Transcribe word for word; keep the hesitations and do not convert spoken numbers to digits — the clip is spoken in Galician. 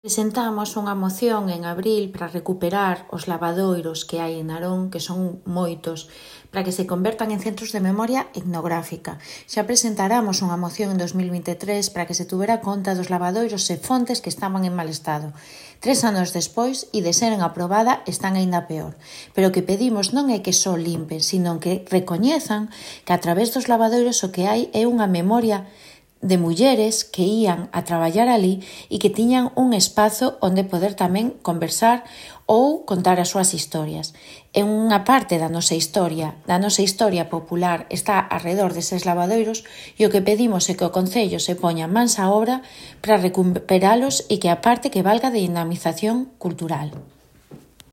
Presentamos unha moción en abril para recuperar os lavadoiros que hai en Narón, que son moitos, para que se convertan en centros de memoria etnográfica. Xa presentáramos unha moción en dos mil vinte e tres para que se tuvera conta dos lavadoiros e fontes que estaban en mal estado. Tres anos despois, e de seren aprobada, están aínda peor. Pero o que pedimos non é que só limpen, sino que recoñezan que a través dos lavadoiros o que hai é unha memoria de mulleres que ían a traballar ali e que tiñan un espazo onde poder tamén conversar ou contar as súas historias. En unha parte da nosa historia, da nosa historia popular, está alrededor deses lavadoiros e o que pedimos é que o Concello se poña mans á obra para recuperalos e que aparte que valga de dinamización cultural.